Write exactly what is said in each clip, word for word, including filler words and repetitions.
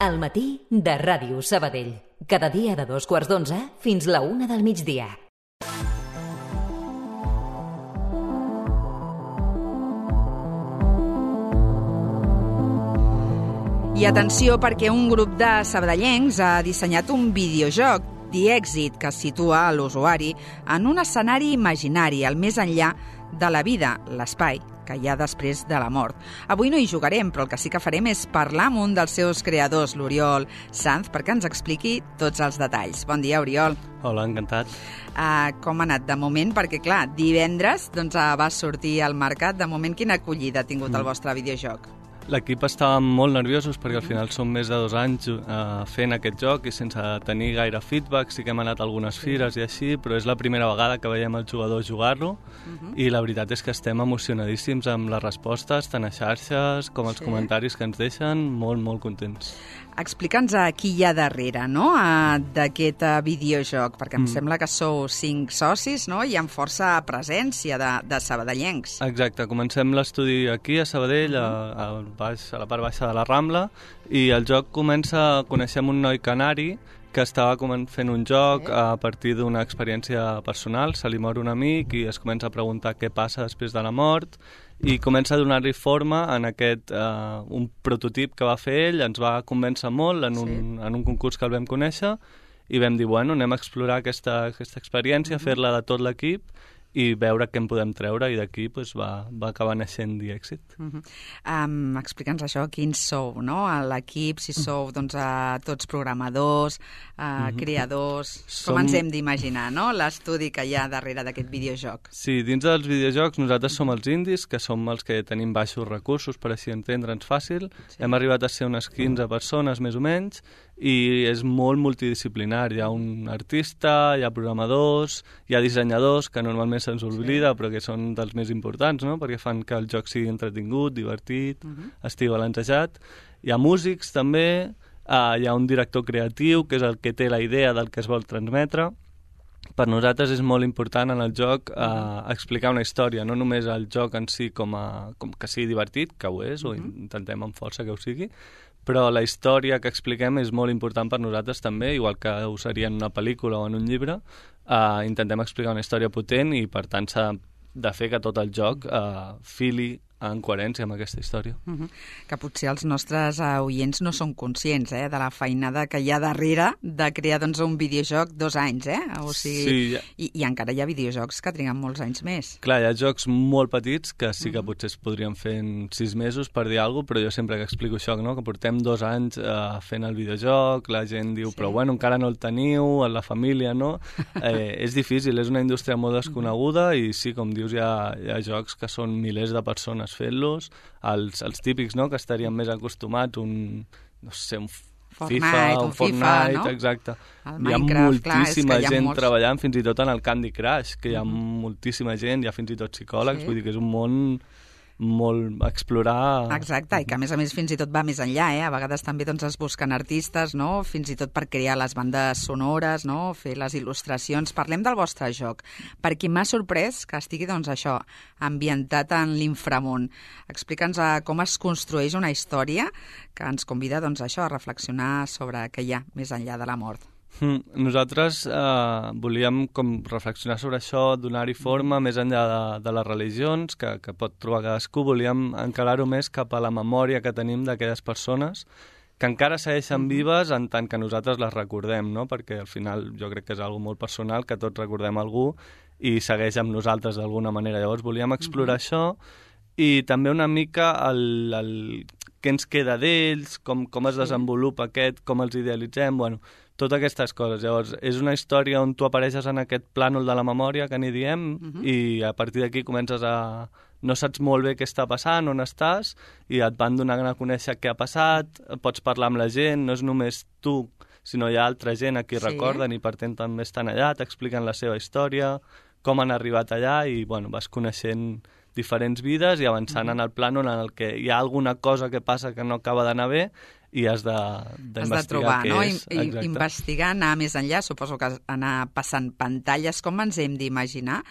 Al matí de Ràdio Sabadell. Cada dia de dos quarts d'onze fins la una del migdia. I atenció, perquè un grup de sabadellencs ha dissenyat un videojoc, The Exit, que situa l'usuari en un escenari imaginari, al més enllà de la vida, l'espai que hi ha després de la mort. Avui no hi jugarem, però el que sí que farem és parlar amb un dels seus creadors, l'Oriol Sanz, perquè ens expliqui tots els detalls. Bon dia, Oriol. Hola, encantat. Uh, com ha anat de moment? Perquè, clar, divendres doncs, uh, va sortir al mercat. De moment, quina acollida ha tingut mm. el vostre videojoc? L'equip estava molt nerviosos perquè al final són més de dos anys eh, fent aquest joc i sense tenir gaire feedback. Sí que hem anat a algunes fires i així, però és la primera vegada que veiem els jugadors jugar-lo uh-huh. i la veritat és que estem emocionadíssims amb les respostes, tant a xarxes com els sí. comentaris que ens deixen, molt, molt contents. Explica'ns a qui hi ha darrere, no?, d'aquest videojoc, perquè em mm. sembla que sou cinc socis, no?, i amb força presència de, de sabadellencs. Exacte, comencem l'estudi aquí a Sabadell, a, a, baix, a la part baixa de la Rambla, i el joc comença, coneixem un noi canari que estava fent un joc a partir d'una experiència personal, se li mor un amic i es comença a preguntar què passa després de la mort, i comença a donar-li forma en aquest uh, un prototip que va fer ell, ens va convèncer molt en un, sí. en un concurs que el vam conèixer i vam dir, bueno, anem a explorar aquesta, aquesta experiència, mm-hmm. fer-la de tot l'equip i veure què en podem treure, i d'aquí pues, va, va acabar naixent The Exit. Mm-hmm. um, Explica'ns això, quins sou, no?, a l'equip, si sou doncs, a tots programadors, a mm-hmm. creadors, Som... com ens hem d'imaginar, no?, l'estudi que hi ha darrere d'aquest videojoc. Sí, dins dels videojocs nosaltres som els indis, que som els que tenim baixos recursos, per així entendre'ns fàcil. Sí. Hem arribat a ser unes quinze persones, més o menys, i és molt multidisciplinari. Hi ha un artista, hi ha programadors, hi ha dissenyadors, que normalment se'ns oblida, sí. però que són dels més importants, no?, perquè fan que el joc sigui entretingut, divertit, uh-huh. estigui balancejat. Hi ha músics, també, uh, hi ha un director creatiu, que és el que té la idea del que es vol transmetre. Per nosaltres és molt important en el joc uh, explicar una història, no només el joc en si com, a, com que sigui divertit, que ho és, uh-huh. o intentem amb força que ho sigui, però la història que expliquem és molt important per nosaltres també, igual que ho seria en una pel·lícula o en un llibre. Uh, intentem explicar una història potent i per tant s'ha de fer que tot el joc uh, fili en coherència amb aquesta història. Uh-huh. Que potser els nostres uh, oients no són conscients eh, de la feinada que hi ha darrere de crear doncs, un videojoc dos anys, eh? O sigui, sí, ja. I, i encara hi ha videojocs que triguen molts anys més. Clar, hi ha jocs molt petits que sí que uh-huh. potser es podrien fer en sis mesos, per dir alguna cosa, però jo sempre que explico això, no? Que portem dos anys uh, fent el videojoc, la gent diu, sí. però bueno, encara no el teniu, en la família, no? Eh, és difícil, és una indústria molt desconeguda i sí, com dius, hi ha, hi ha jocs que són milers de persones fent-los, els, els típics, no?, que estaríem més acostumats, un, no sé, un Fortnite, FIFA, un, un Fortnite, FIFA, no? exacte. El hi ha Minecraft, moltíssima clar, hi ha gent molts... treballant, fins i tot en el Candy Crush, que hi ha mm. moltíssima gent, hi ha fins i tot psicòlegs, sí. vull dir que és un món molt a explorar. Exacte, i que a més a més fins i tot va més enllà, eh? A vegades també doncs, es busquen artistes, no?, fins i tot per crear les bandes sonores, no?, fer les il·lustracions. Parlem del vostre joc, perquè m'ha sorprès que estigui, doncs, això, ambientat en l'inframón. Explica'ns com es construeix una història que ens convida, doncs, això, a reflexionar sobre què hi ha més enllà de la mort. Mm, nosaltres eh, volíem com reflexionar sobre això, donar-hi forma més enllà de, de les religions que, que pot trobar cadascú. Volíem encarar-ho més cap a la memòria que tenim d'aquelles persones que encara segueixen vives en tant que nosaltres les recordem, no? Perquè al final jo crec que és algo molt personal, que tots recordem algú i segueix amb nosaltres d'alguna manera. Llavors volíem explorar mm-hmm. això i també una mica el, el què ens queda d'ells, com, com es desenvolupa aquest, com els idealitzem, bueno, totes aquestes coses. Llavors, és una història on tu apareixes en aquest plànol de la memòria que n'hi diem uh-huh. i a partir d'aquí comences a... No saps molt bé què està passant, on estàs, i et van donant a conèixer què ha passat, pots parlar amb la gent, no és només tu, sinó hi ha altra gent a qui sí. recorden i per tant també estan allà, t'expliquen la seva història, com han arribat allà i bueno, vas coneixent diferents vides i avançant uh-huh. en el plànol en el que hi ha alguna cosa que passa que no acaba d'anar bé i has de, d'investigar has de trobar, què no? és. I, investigar, anar més enllà, suposo que anar passant pantalles, com ens hem d'imaginar?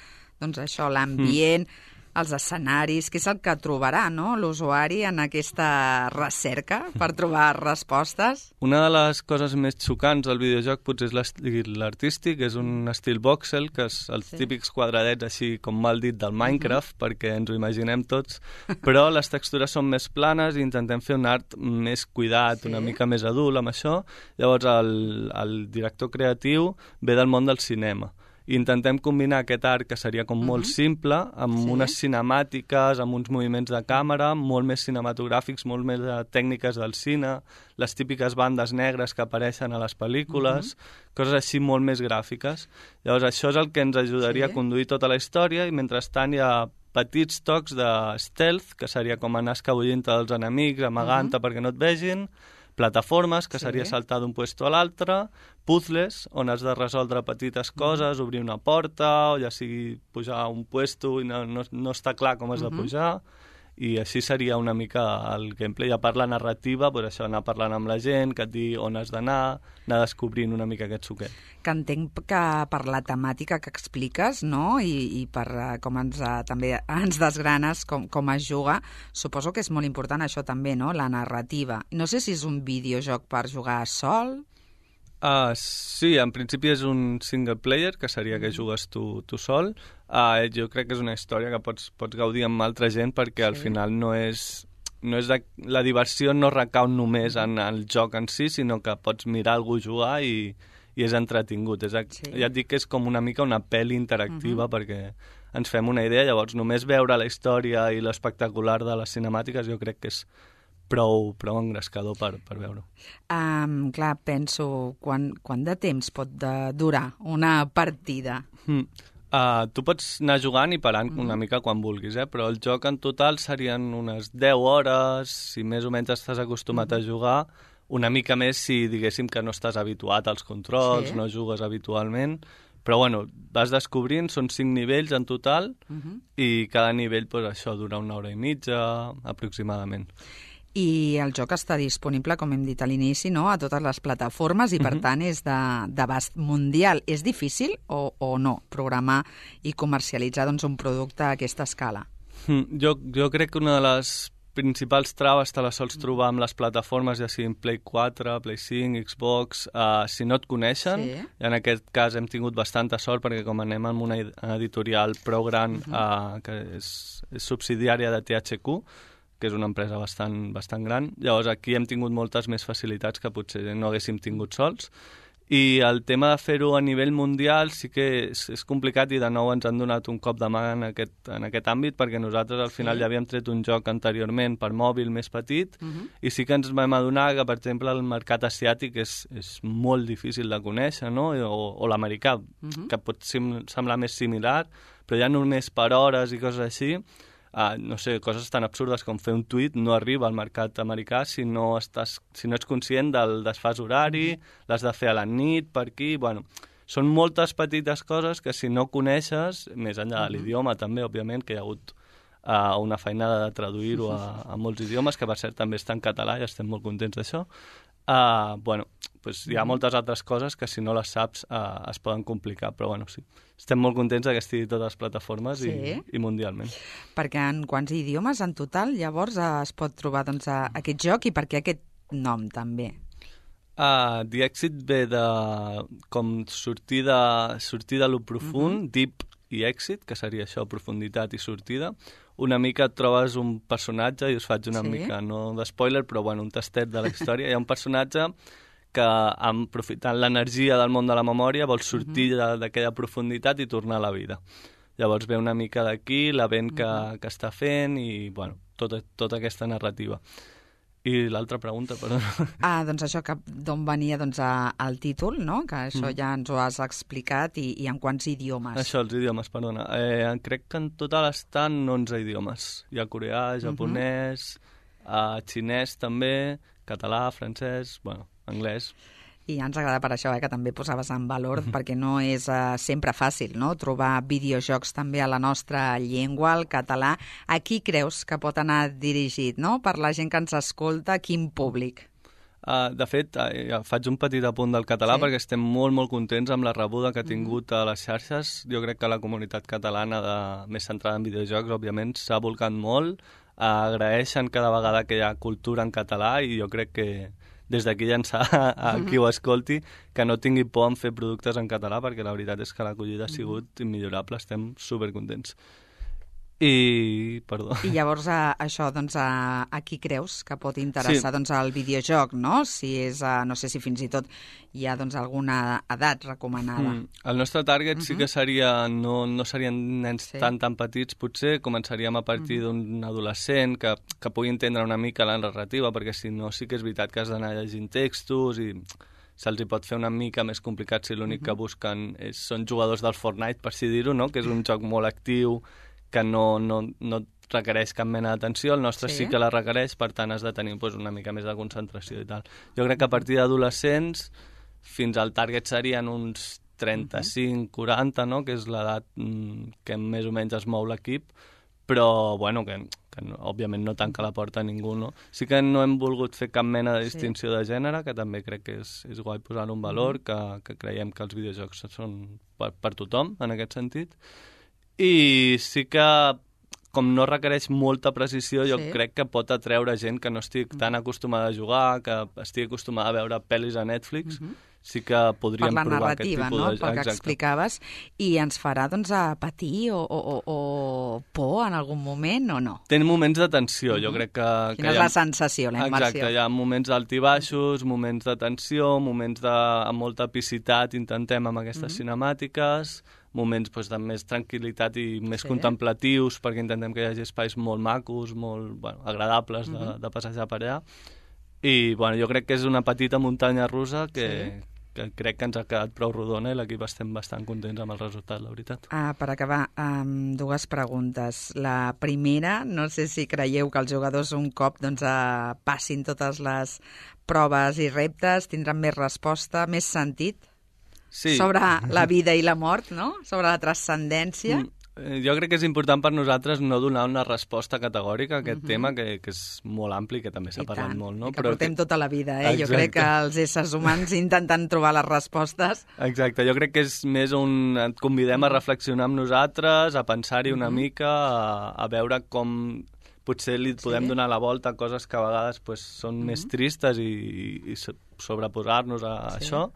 Doncs això, l'ambient, mm. els escenaris, què és el que trobarà, no?, l'usuari en aquesta recerca per trobar respostes. Una de les coses més xocants del videojoc potser és l'estil artístic, és un estil voxel, que és els sí. típics quadradets així com mal dit del Minecraft, uh-huh. perquè ens ho imaginem tots, però les textures són més planes i intentem fer un art més cuidat, sí. una mica més adult amb això. Llavors el, el director creatiu ve del món del cinema. I intentem combinar aquest art, que seria com molt uh-huh. simple, amb sí. unes cinemàtiques, amb uns moviments de càmera, molt més cinematogràfics, molt més de tècniques del cine, les típiques bandes negres que apareixen a les pel·lícules, uh-huh. coses així molt més gràfiques. Llavors això és el que ens ajudaria sí. a conduir tota la història, i mentrestant hi ha petits tocs de stealth, que seria com anar escabullint dels enemics, amagant-te uh-huh. perquè no et vegin, plataformes, que sí. seria saltar d'un puesto a l'altre, puzzles, on has de resoldre petites coses, obrir una porta, o ja sigui pujar a un puesto i no, no, no està clar com has de pujar, i així seria una mica el gameplay. A part la narrativa, pues això, anar parlant amb la gent, que et digui on has d'anar, anar descobrint una mica aquest suquet. Que entenc que per la temàtica que expliques, no?, i, i per uh, com ens, uh, també ens desgranes com, com es juga, suposo que és molt important això també, no?, la narrativa. No sé si és un videojoc per jugar sol... Uh, sí, en principi és un single player, que seria que jugues tu, tu sol. Uh, jo crec que és una història que pots, pots gaudir amb altra gent, perquè sí. al final no és... No és de, la diversió no recau només en el joc en si, sinó que pots mirar algú jugar i, i és entretingut. És, sí. Ja et dic que és com una mica una pel·li interactiva, uh-huh. perquè ens fem una idea. Llavors, només veure la història i l'espectacular de les cinemàtiques jo crec que és prou, prou engrescador per, per veure-ho. Um, clar, penso, quan, quan de temps pot de durar una partida? Mm. Uh, tu pots anar jugant i parant mm. una mica quan vulguis, eh? Però el joc en total serien unes deu hores, si més o menys estàs acostumat mm. a jugar, una mica més si diguéssim que no estàs habituat als controls, sí. no jugues habitualment, però bueno, vas descobrint, són cinc nivells en total, mm-hmm. i cada nivell, pues, això dura una hora i mitja aproximadament. I el joc està disponible, com hem dit a l'inici, no?, a totes les plataformes i, per uh-huh. tant, és d'abast mundial. És difícil o, o no programar i comercialitzar doncs, un producte a aquesta escala? Mm, jo, jo crec que una de les principals traves te les sols trobar amb les plataformes, ja siguin Play quatre, Play cinc, Xbox, uh, si no et coneixen. Sí. I en aquest cas hem tingut bastanta sort, perquè com anem amb una editorial prou gran, uh-huh. uh, que és, és subsidiària de T H Q, que és una empresa bastant, bastant gran. Llavors aquí hem tingut moltes més facilitats que potser no haguéssim tingut sols. I el tema de fer-ho a nivell mundial sí que és, és complicat, i de nou ens han donat un cop de mà en aquest, en aquest àmbit, perquè nosaltres al final sí. ja havíem tret un joc anteriorment per mòbil més petit, uh-huh. i sí que ens vam adonar que, per exemple, el mercat asiàtic és, és molt difícil de conèixer, no? o, o l'americà, uh-huh. que pot sim, semblar més similar, però ja només per hores i coses així. Uh, no sé, coses tan absurdes com fer un tuit no arriba al mercat americà si no, estàs, si no ets conscient del desfàs horari, l'has de fer a la nit, per aquí... Bueno, són moltes petites coses que si no coneixes, més enllà de l'idioma també, òbviament, que hi ha hagut uh, una feinada de traduir-ho a, a molts idiomes, que per cert també està en català i estem molt contents d'això. Uh, bueno, pues hi ha moltes altres coses que si no les saps uh, es poden complicar, però bueno, sí. Estem molt contents que estigui a totes les plataformes sí. i, i mundialment. Perquè en quants idiomes en total llavors es pot trobar doncs, aquest joc, i per què aquest nom també? Uh, The Exit ve de com sortir de, sortir de lo profund, uh-huh. deep i exit, que seria això, profunditat i sortida. Una mica et trobes un personatge, i us faig una sí. mica, no de spoiler, però bueno, un tastet de la història. Hi ha un personatge que, aprofitant l'energia del món de la memòria, vol sortir uh-huh. d'aquella profunditat i tornar a la vida. Llavors ve una mica d'aquí, la vent que, uh-huh. que està fent, i bueno, tota, tota aquesta narrativa. I l'altra pregunta, perdó. Ah, doncs això, que d'on venia doncs, a, el títol, no? Que això mm. ja ens ho has explicat, i, i en quants idiomes? Això, els idiomes, perdona. Eh, crec que en total estan onze idiomes. Hi ha coreà, japonès, uh-huh. eh, xinès també, català, francès, bueno, anglès... I ens agrada per això, eh, que també posaves en valor, uh-huh. perquè no és uh, sempre fàcil, no?, trobar videojocs també a la nostra llengua, el català. A qui creus que pot anar dirigit, no?, per la gent que ens escolta, quin públic? Uh, de fet, uh, faig un petit apunt del català sí. perquè estem molt, molt contents amb la rebuda que ha tingut a les xarxes. Jo crec que la comunitat catalana, de, més centrada en videojocs, òbviament, s'ha volcat molt. Uh, agraeixen cada vegada que hi ha cultura en català i jo crec que des d'aquí llançar a qui ho escolti que no tingui por en fer productes en català, perquè la veritat és que l'acollida ha sigut immillorable, estem supercontents. I, perdó. I llavors a, això, doncs, a, a qui creus que pot interessar sí. doncs, el videojoc, no? Si és, a, no sé si fins i tot hi ha doncs, alguna edat recomanada. Mm. El nostre target uh-huh. sí que seria, no, no serien nens sí. tan tan petits, potser començaríem a partir uh-huh. d'un adolescent que, que pugui entendre una mica la narrativa, perquè si no sí que és veritat que has d'anar llegint textos i se'ls hi pot fer una mica més complicat si l'únic uh-huh. que busquen és, són jugadors del Fortnite, per si dir-ho, no? Que és un joc molt actiu, que no, no, no requereix cap mena d'atenció, el nostre sí. sí que la requereix, per tant has de tenir pues, una mica més de concentració i tal. Jo crec que a partir d'adolescents fins al target serien uns trenta-cinc quaranta, no? Que és l'edat mm, que més o menys es mou l'equip, però bueno, que, que no, òbviament no tanca la porta a ningú, no? Sí que no hem volgut fer cap mena de distinció sí. de gènere, que també crec que és, és guai posar un valor, que, que creiem que els videojocs són per, per tothom, en aquest sentit. I sí que, com no requereix molta precisió, jo sí. crec que pot atreure gent que no estigui tan acostumada a jugar, que estigui acostumada a veure pel·lis a Netflix, uh-huh. sí que podríem provar narrativa, aquest tipus no? de... Pel que explicaves, i ens farà doncs, a patir o, o, o por en algun moment o no? Té moments de tensió, uh-huh. jo crec que... Quina que és ha... la sensació, la immersió? Exacte, hi ha moments d'altibaixos, moments de tensió, moments de amb molta epicitat, intentem amb aquestes uh-huh. cinemàtiques, moments doncs, de més tranquil·litat i més sí. contemplatius, perquè intentem que hi hagi espais molt macos, molt bueno, agradables de, uh-huh. de passejar per allà. I bueno, jo crec que és una petita muntanya russa que, sí. que crec que ens ha quedat prou rodona i l'equip estem bastant contents amb el resultat, la veritat. Ah, per acabar, um, dues preguntes. La primera, no sé si creieu que els jugadors un cop doncs, uh, passin totes les proves i reptes, tindran més resposta, més sentit? Sí. Sobre la vida i la mort, no? Sobre la transcendència. Mm. Jo crec que és important per nosaltres no donar una resposta categòrica a aquest uh-huh. tema, que, que és molt ampli, que també s'ha I parlat tant. molt. No? I que Però portem que... tota la vida, eh? Exacte. Jo crec que els éssers humans intentant trobar les respostes... Exacte, jo crec que és més un... Et convidem a reflexionar amb nosaltres, a pensar-hi una uh-huh. mica, a, a veure com... Potser li podem sí. donar la volta a coses que a vegades pues, són uh-huh. més tristes i, i sobreposar-nos a sí. això.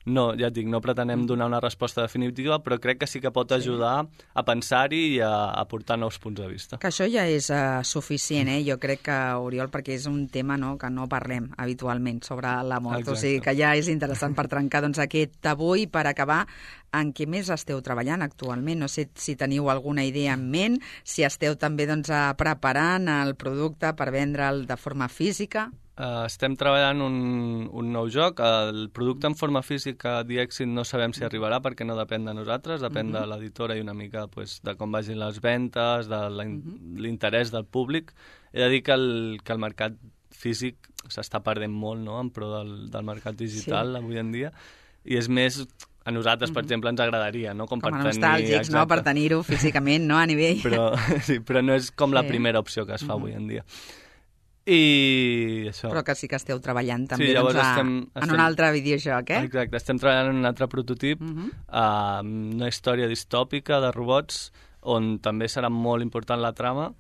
No, ja et dic, no pretenem donar una resposta definitiva, però crec que sí que pot ajudar sí. a pensar-hi i a aportar nous punts de vista. Que això ja és uh, suficient, eh? Jo crec que, Oriol, perquè és un tema no, que no parlem habitualment sobre la mort. Exacte. O sigui que ja és interessant per trencar doncs, aquest tabú i per acabar en què més esteu treballant actualment. No sé si teniu alguna idea en ment, si esteu també doncs, preparant el producte per vendre'l de forma física. Uh, estem treballant un, un nou joc. El producte en forma física d'Exit no sabem si arribarà perquè no depèn de nosaltres, depèn uh-huh. de l'editora i una mica pues, de com vagin les ventes, de l'interès del públic. He de dir que el, que el mercat físic s'està perdent molt no? En pro del, del mercat digital sí. avui en dia, i és més... A nosaltres, per uh-huh. exemple, ens agradaria, no? Com, com a nostàlgics, no? Per tenir-ho físicament, no? A nivell... Però, sí, però no és com sí. la primera opció que es fa uh-huh. avui en dia. I això. Però que sí que esteu treballant també sí, doncs, a, estem, en estem, un altre videojoc, eh? Exacte, estem treballant en un altre prototip, uh-huh. uh, una història distòpica de robots, on també serà molt important la trama,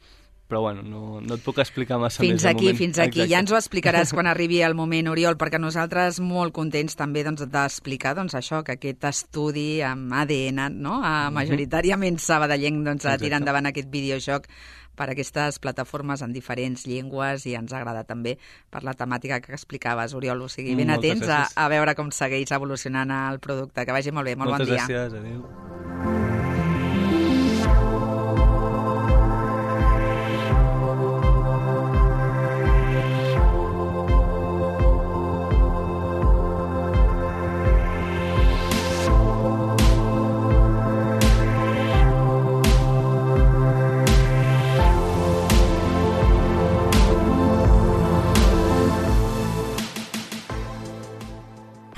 però bueno, no, no et puc explicar massa fins més. Aquí, fins aquí, Exacte. Ja ens ho explicaràs quan arribi el moment, Oriol, perquè nosaltres molt contents també doncs, d'explicar doncs, això, que aquest estudi amb A D N, no? a, majoritàriament sabadellenc, doncs, a tirar endavant aquest videojoc per aquestes plataformes en diferents llengües i ens agrada també per la temàtica que explicaves, Oriol. O sigui, ben Moltes atents a, a veure com segueix evolucionant el producte. Que vagi molt bé, molt Moltes bon dia. Moltes gràcies, adéu.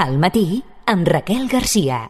Al matí, amb Raquel Garcia.